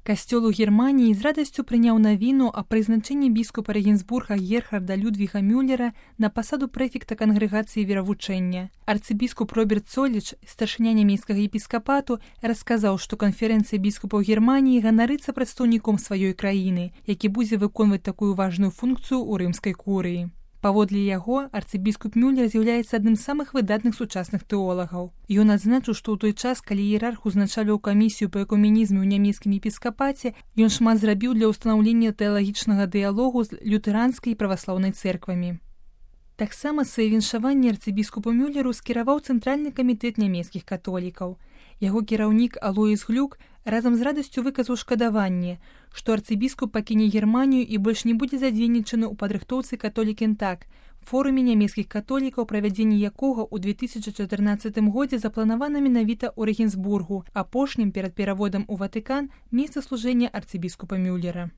Касцёл у Германіі з радасцю прыняў навіну аб прызначэнні біскупа Регенсбурга Герхарда Людвіга Мюллера на пасаду прэфекта кангрэгацыі веравучэння. Арцыбіскуп Роберт Цоліч, старшыня нямецкага епіскапату, расказаў, што канферэнцыя біскупаў Германіі ганарыцца прадстаўніком сваёй краіны, які будзе выконваць такую важную функцыю ў рымскай курыі. Паводле яго, арцыбіскуп Мюллер з'яўляецца адным з самых выдатных сучасных тэолагаў. Ён адзначыў, што ў той час, калі іерарх узначальваў камісію па экуменізме ў нямецкім епіскапаце, ён шмат зрабіў для ўстанаўлення тэалагічнага дыялогу з лютэранскай і праваслаўнай цэрквамі. Таксама свае віншаванні арцыбіскупу Мюллеру скіраваў Цэнтральны камітэт нямецкіх католікаў. Яго кіраўнік Алоіс Глюк разам з радасцю выказаў шкадаванне, што арцыбіскуп пакіне Германію і больш не будзе задзейнічаны ў падрыхтоўцы «Католік-Інтак», форуме нямецкіх католікаў, правядзенне якога ў 2014 годзе запланавана менавіта ў Рэгенсбургу, апошнім перад пераводам у Ватыкан месца служэння арцыбіскупа Мюллера.